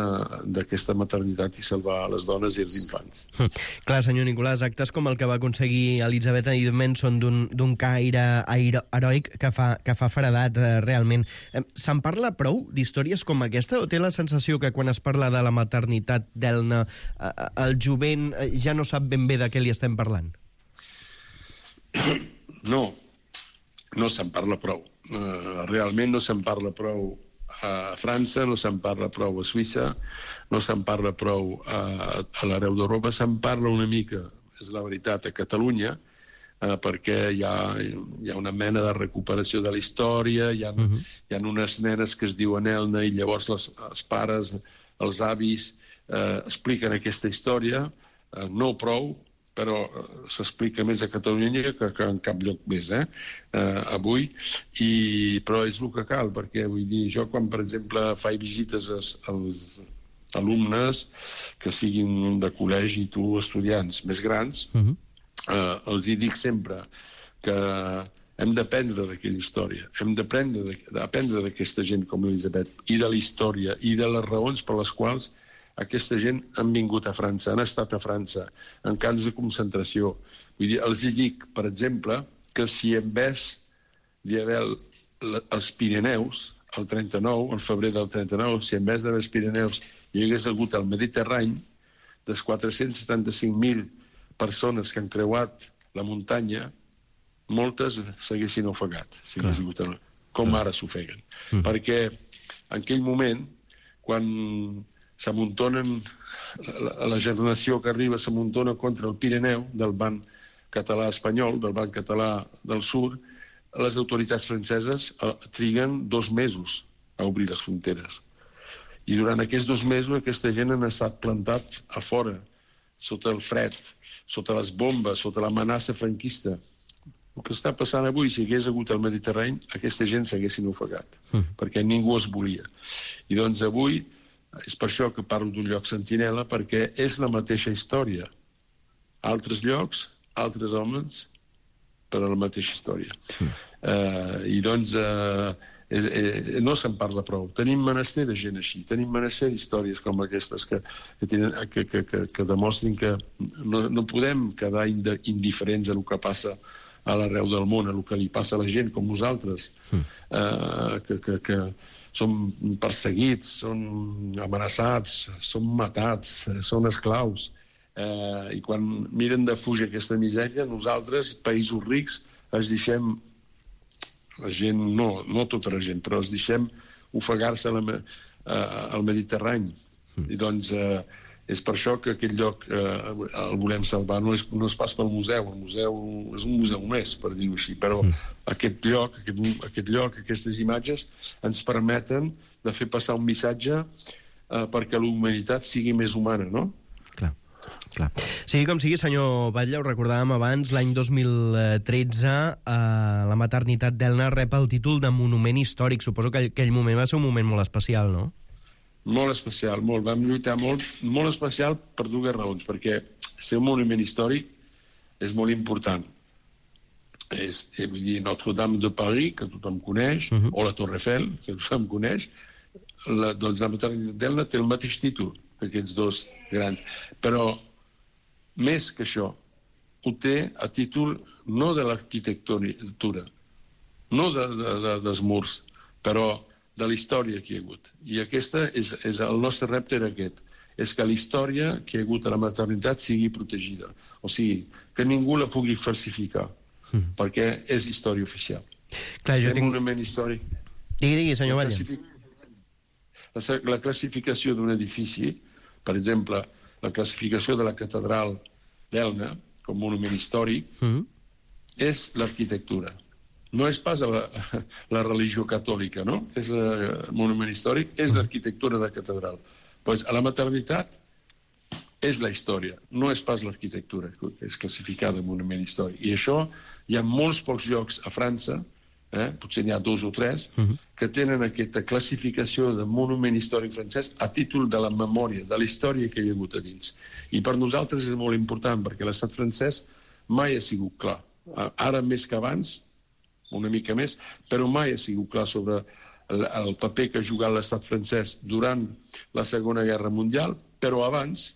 d'aquesta maternitat i salvar les dones i els infants. Clar, senyor Nicolàs, actes com el que va aconseguir Elisabet Eidenbenz són d'un caire heroic que fa feredat, realment. Se'n parla prou d'històries com aquesta, o té la sensació que quan es parla de la maternitat d'Elna el jovent ja no sap ben bé de què li estem parlant? No se'n parla prou. Realment no se'n parla prou a França, no se'n parla prou a Suïssa, no se'n parla prou a l'arreu d'Europa, se'n parla una mica, és la veritat, a Catalunya, perquè hi ha una mena de recuperació de la història, hi ha unes nenes que es diuen Elna i llavors els pares, els avis, expliquen aquesta història, no prou, però s'explica més a Catalunya que en cap lloc més, avui, però és el que cal, perquè vull dir, jo quan, per exemple, faig visites als alumnes que siguin de col·legi, tu, estudiants més grans, els hi dic sempre que hem d'aprendre d'aquella història, hem d'aprendre d'aquesta gent com Elisabet, i de la història, i de les raons per les quals aquesta gent han vingut a França, han estat a França, en camps de concentració. Vull dir, els dic, per exemple, que si en vez d'hi haver els Pirineus, el 39, el febrer del 39, si en vez d'haver els Pirineus hi hagués hagut el Mediterrani, des 475.000 persones que han creuat la muntanya, moltes s'haguessin ofegat, si hagués hagut com ara s'ofeguen. Perquè en aquell moment, quan s'amuntonen, la generació que arriba s'amuntona contra el Pirineu del banc català espanyol, del banc català del sud, les autoritats franceses triguen 2 mesos a obrir les fronteres. I durant aquests 2 mesos aquesta gent han estat plantats a fora, sota el fred, sota les bombes, sota l'amenaça franquista. El que està passant avui, si hagués hagut el Mediterrani, aquesta gent s'haguessin ofegat, perquè ningú es volia. I doncs avui és per això que parlo d'un lloc sentinela, perquè és la mateixa història. Altres llocs, altres homes, per a la mateixa història. I doncs no se'n parla prou. Tenim menester de gent així, tenim menester d'històries com aquestes que demostrin que no podem quedar indiferents a el que passa a l'arreu del món, a el que li passa a la gent com nosaltres, que són perseguits, són amenaçats, són matats, són esclaus. I quan miren de fugir aquesta misèria, nosaltres, països rics, ens deixem la gent, no tota la gent, però es deixem ofegar-se al Mediterrani. I doncs és per això que aquest lloc el volem salvar. No és pas pel museu, el museu és un museu més, per dir-ho així, però aquest lloc, aquestes imatges ens permeten de fer passar un missatge perquè la humanitat sigui més humana, no? Clar. Sigui com sigui, senyor Batlle, ho recordàvem abans, l'any 2013 la maternitat d'Elna rep el títol de Monument Històric. Suposo que aquell moment va ser un moment molt especial, no? Molt especial, molt. Vam lluitar molt especial per dues raons, perquè ser un monument històric és molt important. Vull dir, Notre-Dame de Paris, que tothom coneix, o la Torre Eiffel, que tothom coneix, doncs la maternitat d'Elna té el mateix títol que aquests dos grans. Però, més que això, ho té a títol no de l'arquitectura, no dels murs, però de la història que hi ha hagut. I el nostre repte era aquest, és que la història que hi ha hagut a la maternitat sigui protegida. O sigui, que ningú la pugui falsificar, perquè és història oficial. Clar, jo tinc... un monument històric. Digui, senyor Batlle. La classificació d'un edifici, per exemple, la classificació de la catedral d'Elna com monument històric, és l'arquitectura. No és pas la religió catòlica, no? És el monument històric, és l'arquitectura de la catedral. Doncs a la maternitat és la història, no és pas l'arquitectura que és classificada monument històric. I això hi ha molts pocs llocs a França, potser n'hi ha 2 o 3, que tenen aquesta classificació de monument històric francès a títol de la memòria, de la història que hi ha hagut a dins. I per nosaltres és molt important, perquè l'estat francès mai ha sigut clar. Ara més que abans, una mica més, però mai ha sigut clar sobre el paper que ha jugat l'estat francès durant la Segona Guerra Mundial, però abans,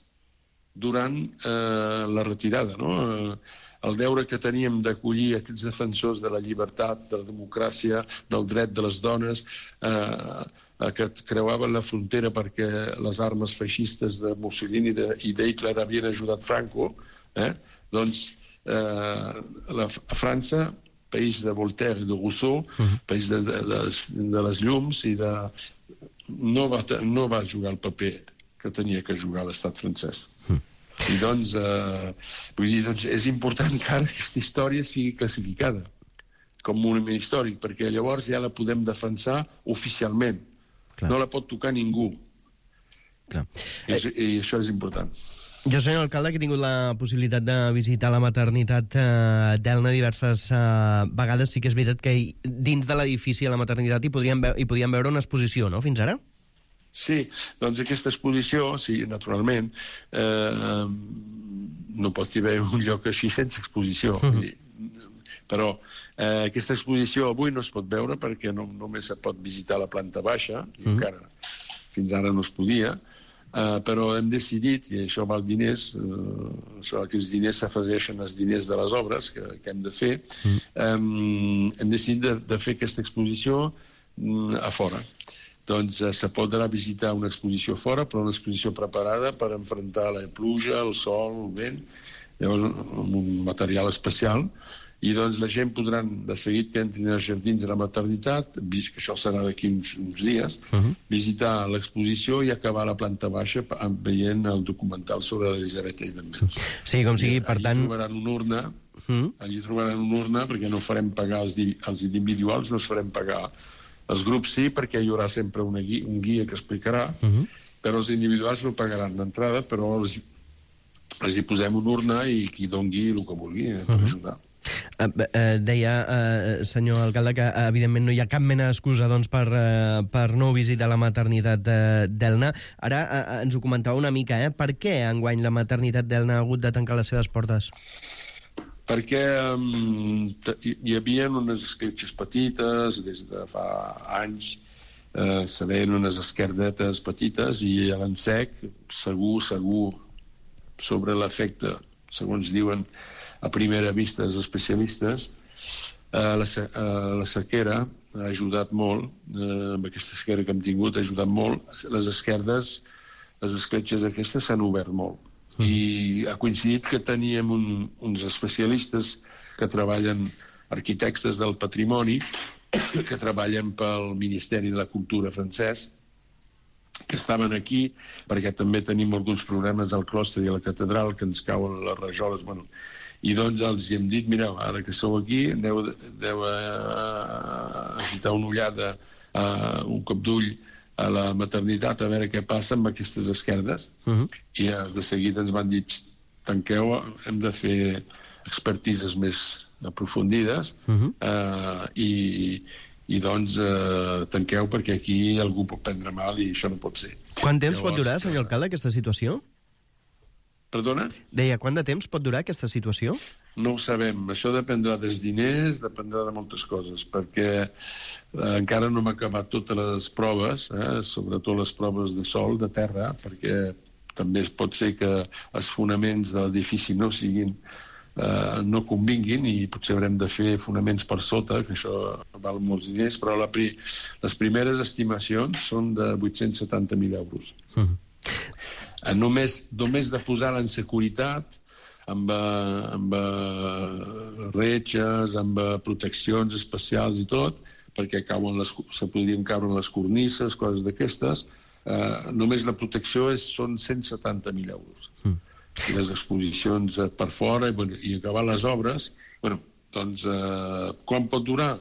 durant la retirada, no? El deure que teníem d'acollir aquests defensors de la llibertat, de la democràcia, del dret de les dones, que creuaven la frontera perquè les armes feixistes de Mussolini i d'Hitler havien ajudat Franco, doncs a França, país de Voltaire i de Rousseau, país de les llums, no va jugar el paper que tenia que jugar l'estat francès. I doncs, és important que ara aquesta història sigui classificada com monument històric, perquè llavors ja la podem defensar oficialment. No la pot tocar ningú. I això és important. Jo, senyor alcalde, que he tingut la possibilitat de visitar la maternitat d'Elna diverses vegades, sí que és veritat que dins de l'edifici a la maternitat hi podíem veure una exposició, no?, fins ara? Sí, doncs aquesta exposició, sí, naturalment, no pot haver un lloc així sense exposició. Però aquesta exposició avui no es pot veure perquè només se pot visitar la planta baixa, i encara fins ara no es podia, però hem decidit, i això val diners, aquests diners s'afegeixen als diners de les obres que hem de fer, hem decidit de fer aquesta exposició a fora. Doncs se podrà visitar una exposició fora, però una exposició preparada per enfrontar la pluja, el sol, el vent, amb un material especial, i doncs la gent podrà, de seguit que entrin als jardins de la maternitat, vist que això serà d'aquí uns dies, visitar l'exposició i acabar a la planta baixa veient el documental sobre l'Elisabet Eidenbenz. Sí, com sigui, per tant... Allí trobaran una urna, perquè no farem pagar els individuals, no es farem pagar. Els grups sí, perquè hi haurà sempre un guia que explicarà, però els individuals no pagaran d'entrada, però els hi posem una urna i qui dongui el que vulgui per ajudar. Deia, senyor alcalde, que evidentment no hi ha cap mena d'excusa per no visitar la maternitat d'Elna. Ara ens ho comentava una mica, per què enguany la maternitat d'Elna ha hagut de tancar les seves portes? Perquè hi havia unes escletxes petites, des de fa anys se veien unes esquerdetes petites i a l'ensec, segur, sobre l'efecte, segons diuen a primera vista els especialistes, la sequera ha ajudat molt, amb aquesta sequera que hem tingut ha ajudat molt, les esquerdes, les escletxes aquestes s'han obert molt. I ha coincidit que teníem uns especialistes que treballen arquitectes del patrimoni que treballen pel Ministeri de la Cultura francès, que estaven aquí, perquè també tenim alguns problemes al clostre i a la catedral, que ens cauen les rajoles, bueno. I doncs els hem dit, mireu, ara que sou aquí, aneu a agitar una ullada, un cop d'ull a la maternitat, a veure què passa amb aquestes esquerdes. I de seguida ens van dir, tanqueu, hem de fer expertises més aprofundides, i doncs tanqueu, perquè aquí algú pot prendre mal i això no pot ser. Quant temps pot durar, senyor alcalde, aquesta situació? Perdona? Deia, quant de temps pot durar aquesta situació? No ho sabem. Això dependrà dels diners, dependrà de moltes coses, perquè encara no hem acabat totes les proves, sobretot les proves de sòl, de terra, perquè també pot ser que els fonaments de l'edifici no convinguin i potser haurem de fer fonaments per sota, que això val molts diners, però les primeres estimacions són de 870.000 euros. Només de posar-la en securitat, amb retxes, amb proteccions especials i tot, perquè se podrien caure les cornisses, coses d'aquestes, només la protecció són 170.000 euros. I les exposicions per fora i acabar les obres, doncs quan pot durar?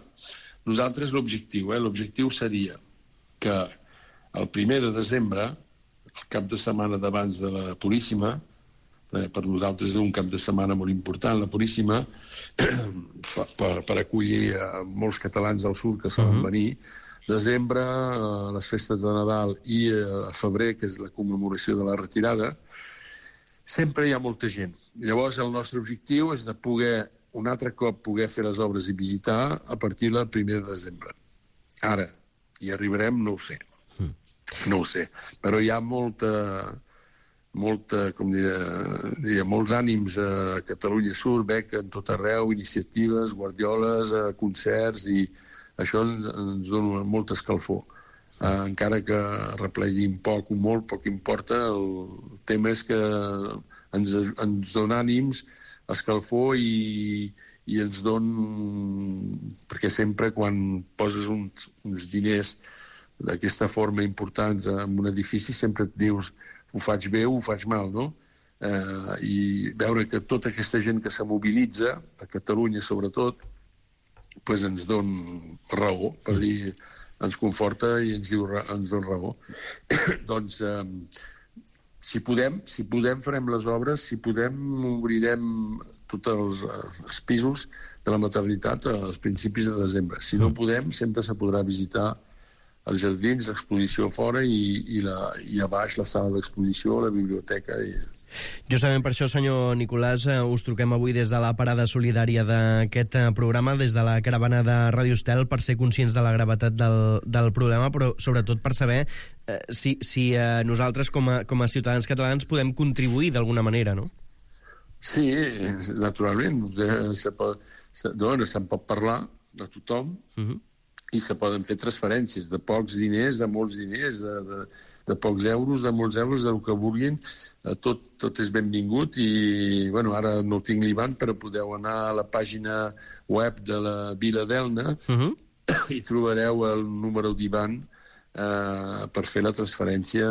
Nosaltres l'objectiu seria que el 1 de desembre, el cap de setmana d'abans de la Puríssima, per nosaltres és un cap de setmana molt important, la Puríssima, per acollir molts catalans del sud que solen venir. Desembre, les festes de Nadal, i a febrer, que és la commemoració de la retirada, sempre hi ha molta gent. Llavors, el nostre objectiu és de poder, un altre cop, poder fer les obres i visitar a partir del 1 de desembre. Ara, hi arribarem? No ho sé. No ho sé. Però hi ha molts ànims a Catalunya Sud, veig en tot arreu, iniciatives, guardioles, concerts, i això ens dona molta escalfor. Encara que repleguin poc o molt, poc importa, el tema és que ens dona ànims, escalfor, i ens dona... Perquè sempre quan poses uns diners d'aquesta forma importants en un edifici sempre et dius ho faig bé o ho faig mal, no? I veure que tota aquesta gent que se mobilitza, a Catalunya sobretot, ens dona raó, per dir, ens conforta i ens dona raó. Doncs, si podem farem les obres, si podem obrirem tots els pisos de la maternitat als principis de desembre. Si no podem, sempre se podrà visitar els jardins, l'exposició fora i a baix la sala d'exposició, la biblioteca. Justament per això, senyor Nicolàs, us truquem avui des de la parada solidària d'aquest programa, des de la caravana de Ràdio Estel, per ser conscients de la gravetat del problema, però sobretot per saber si nosaltres com a ciutadans catalans podem contribuir d'alguna manera, no? Sí, naturalment. Se'n pot parlar de tothom, i se poden fer transferències de pocs diners, de molts diners, de pocs euros, de molts euros, del que vulguin. Tot és benvingut i, ara no tinc l'Ivan, però podeu anar a la pàgina web de la Vila d'Elna i trobareu el número d'Ivan per fer la transferència.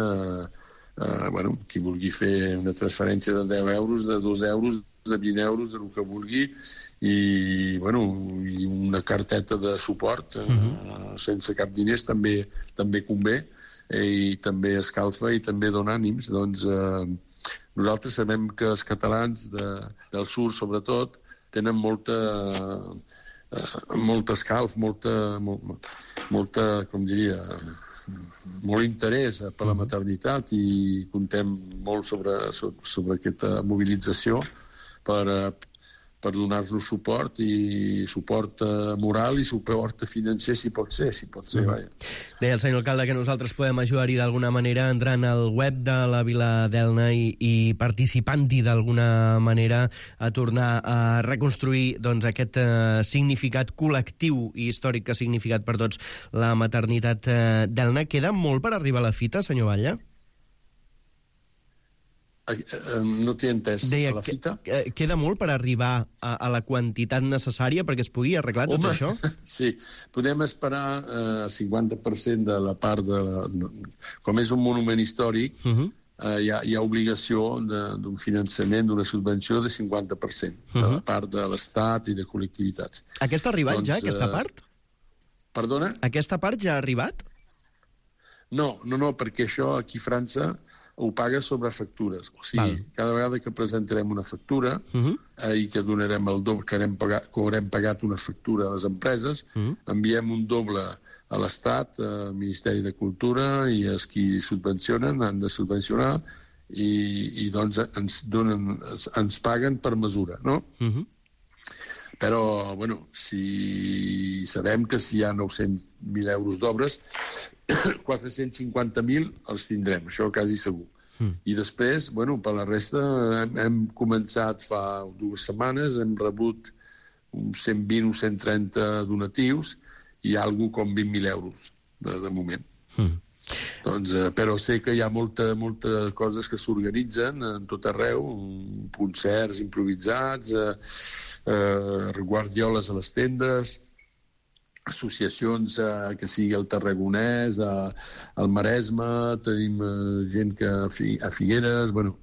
Qui vulgui fer una transferència de 10 euros, de 2 euros, de 20 euros, del que vulgui, i una carteta de suport sense cap diners també convé, i també escalfa i també dona ànims. Doncs nosaltres sabem que els catalans del sud, sobretot, tenen molta escalf, com diria, molt interès per la maternitat, i contem molt sobre aquesta mobilització per donar-nos suport, i suport moral i suport financer, si pot ser, vaja. Deia el senyor alcalde que nosaltres podem ajudar-hi d'alguna manera entrant al web de la Vila d'Elna i participant-hi d'alguna manera a tornar a reconstruir aquest significat col·lectiu i històric que ha significat per tots la maternitat d'Elna. Queda molt per arribar a la fita, senyor Batlle? No t'he entès. Deia, a la fita? Queda molt per arribar a la quantitat necessària perquè es pugui arreglar tot això? Sí, podem esperar 50% de la part de... Com és un monument històric, hi ha obligació d'un finançament, d'una subvenció de 50% de la part de l'Estat i de col·lectivitats. Aquesta ha arribat ja, aquesta part? Perdona? Aquesta part ja ha arribat? No, perquè això aquí a França ho paga sobre factures. O sigui, cada vegada que presentarem una factura i que donarem el doble, que haurem pagat una factura a les empreses, enviem un doble a l'Estat, al Ministeri de Cultura, i els qui subvencionen han de subvencionar i doncs ens paguen per mesura, no? Però, bueno, si sabem que si hi ha 900.000 euros d'obres, 450.000 els tindrem, això quasi segur. I després, bueno, per la resta, hem començat fa 2 setmanes, hem rebut uns 120 o 130 donatius i algo com 20.000 euros, de moment. Doncs, però sé que hi ha moltes coses que s'organitzen en tot arreu, concerts improvisats, guardioles a les tendes, associacions que sigui al Tarragonès, al Maresme, tenim gent que a Figueres, bueno,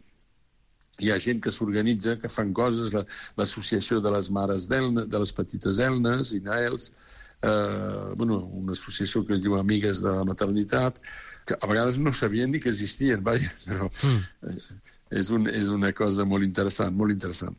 hi ha gent que s'organitza, que fan coses, l'associació de les mares d'Elna, de les petites Elnes i Naels, bueno, una associació que es diu Amigues de la Maternitat, que a vegades no sabien ni que existien, vaja, però és una cosa molt interessant, molt interessant.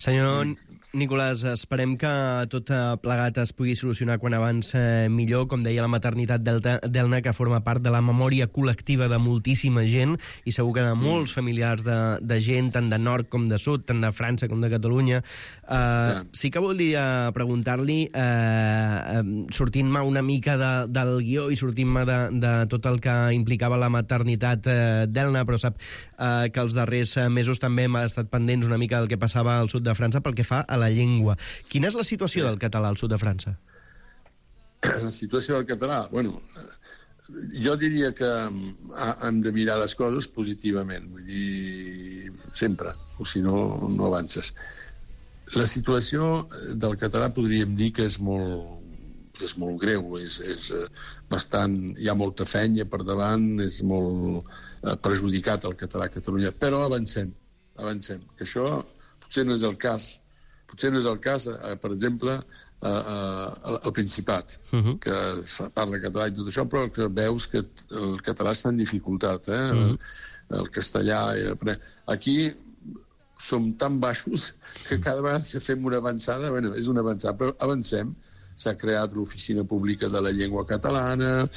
Senyor Nicolàs, esperem que tot plegat es pugui solucionar quan abans millor. Com deia, la maternitat d'Elna, que forma part de la memòria col·lectiva de moltíssima gent i segur que de molts familiars de gent, tant de nord com de sud, tant de França com de Catalunya. Sí que volia preguntar-li, sortint-me una mica del guió i sortint-me de tot el que implicava la maternitat d'Elna, però sap que els darrers mesos també hem estat pendents una mica del que passava al sud de França pel que fa a la llengua. Quina és la situació del català al sud de França? La situació del català? Bueno, jo diria que hem de mirar les coses positivament, vull dir, sempre, o si no, no avances. La situació del català podríem dir que és molt greu, és bastant, hi ha molta feina per davant, és molt perjudicat el català a Catalunya, però avancem, que això potser no és el cas. Potser no és el cas, per exemple, al Principat, que parla català i tot això, però que veus que el català està en dificultat, el castellà... Aquí som tan baixos que cada vegada que fem una avançada, bueno, és una avançada, però avancem. S'ha creat l'Oficina Pública de la Llengua Catalana,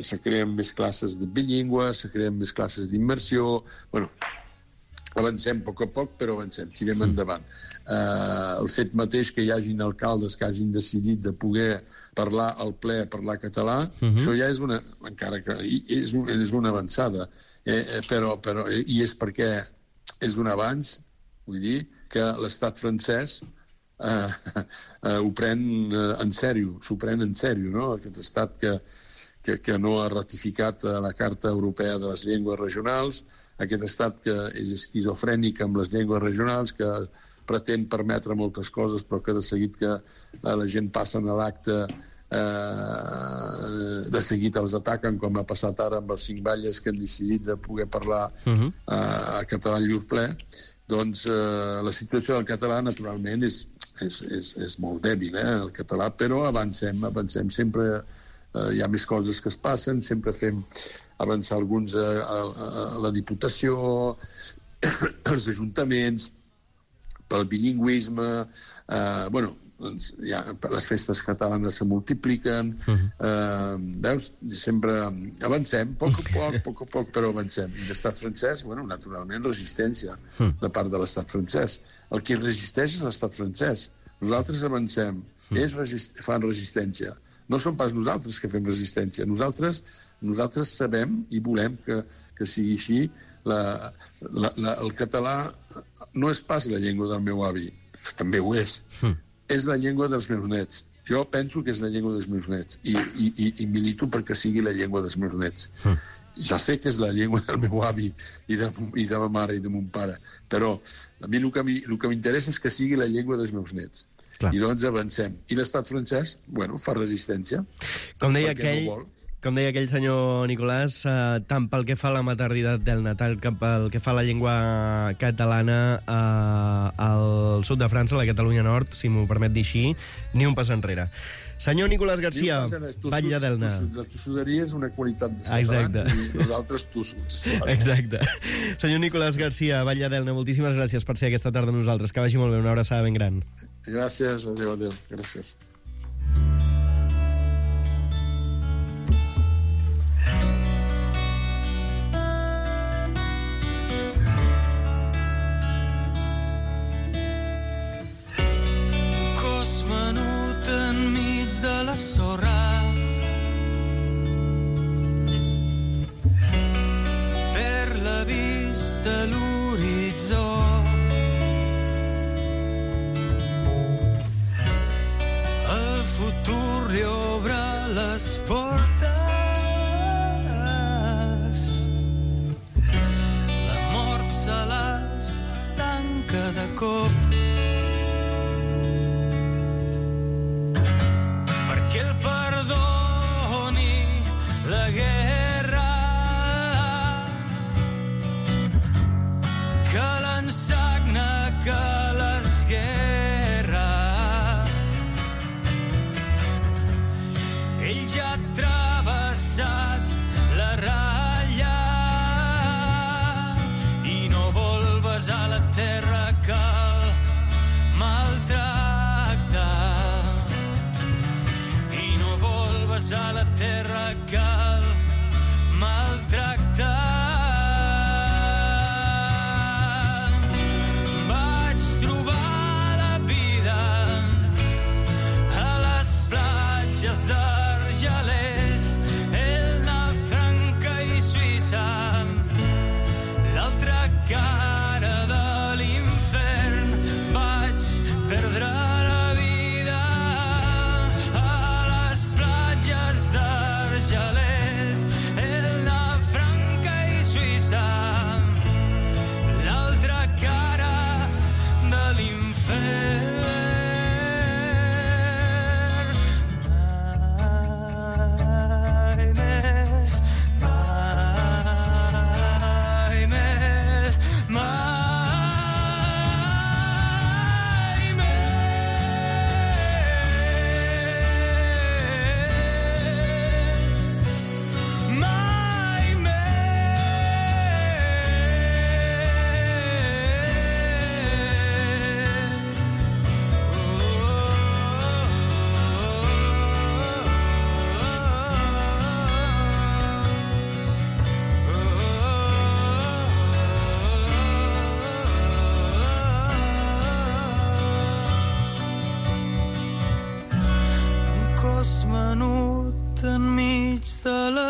se creen més classes de bilingüe, se creen més classes d'immersió... Bueno, avancem a poc, però avancem, tirem endavant. El fet mateix que hi hagin alcaldes que hagin decidit de poder parlar al ple, parlar català, això ja és una... encara que és una avançada, però i és perquè és un avanç, vull dir, que l'estat francès ho pren en sèrio, s'ho pren en sèrio, no? Aquest estat que no ha ratificat la Carta Europea de les Llengües Regionals, aquest estat que és esquizofrènic amb les llengües regionals, que pretén permetre moltes coses, però que de seguit que la gent passa a l'acte, de seguit els ataquen, com ha passat ara amb els 5 batlles que han decidit de poder parlar català en llur ple. Doncs la situació del català, naturalment, és molt dèbil, el català, però avancem sempre. Hi ha més coses que es passen, sempre fem avançar alguns a la Diputació, als ajuntaments, pel bilingüisme, les festes catalanes se multipliquen, veus? Sempre avancem, poc a poc, però avancem. I l'estat francès, naturalment, resistència de part de l'estat francès. El que resisteix és l'estat francès. Nosaltres avancem, ells fan resistència. No som pas nosaltres que fem resistència. Nosaltres sabem i volem que sigui així. El català no és pas la llengua del meu avi, que també ho és. És la llengua dels meus nets. Jo penso que és la llengua dels meus nets i milito perquè sigui la llengua dels meus nets. Ja sé que és la llengua del meu avi i de ma mare i de mon pare, però a mi el que m'interessa és que sigui la llengua dels meus nets. Clar. I doncs avancem. I l'estat francès, bueno, fa resistència. Com deia aquell senyor Nicolàs, tant pel que fa a la maternitat del natal com pel que fa a la llengua catalana al sud de França, a la Catalunya Nord, si m'ho permet dir així, ni un pas enrere. Senyor Nicolàs Garcia, Batlle d'Elna. La tossuderia és una qualitat de catalans i nosaltres tossuts. Exacte. Senyor Nicolàs Garcia, Batlle d'Elna, moltíssimes gràcies per ser aquesta tarda amb nosaltres. Que vagi molt bé, una abraçada ben gran. Gràcies, adéu. Gràcies. De la sorra per la vista l'horitzó el futur li obre les portes la mort se les tanca de cop que el perdoni la guerra que l'ensagna que l'esguerra ell ja ha travessat la ratlla i no vol besar la terra que el maltracta a la terra que el maltracta. Vaig trobar la vida a les platges d'Argelers, Elna, Franca i Suïssa, l'altra cara de l'infern. Vaig perdre d'Argelers, Elna, Franca i Suïssa, l'altra cara de l'infern. Mai més, cosmenut enmig de la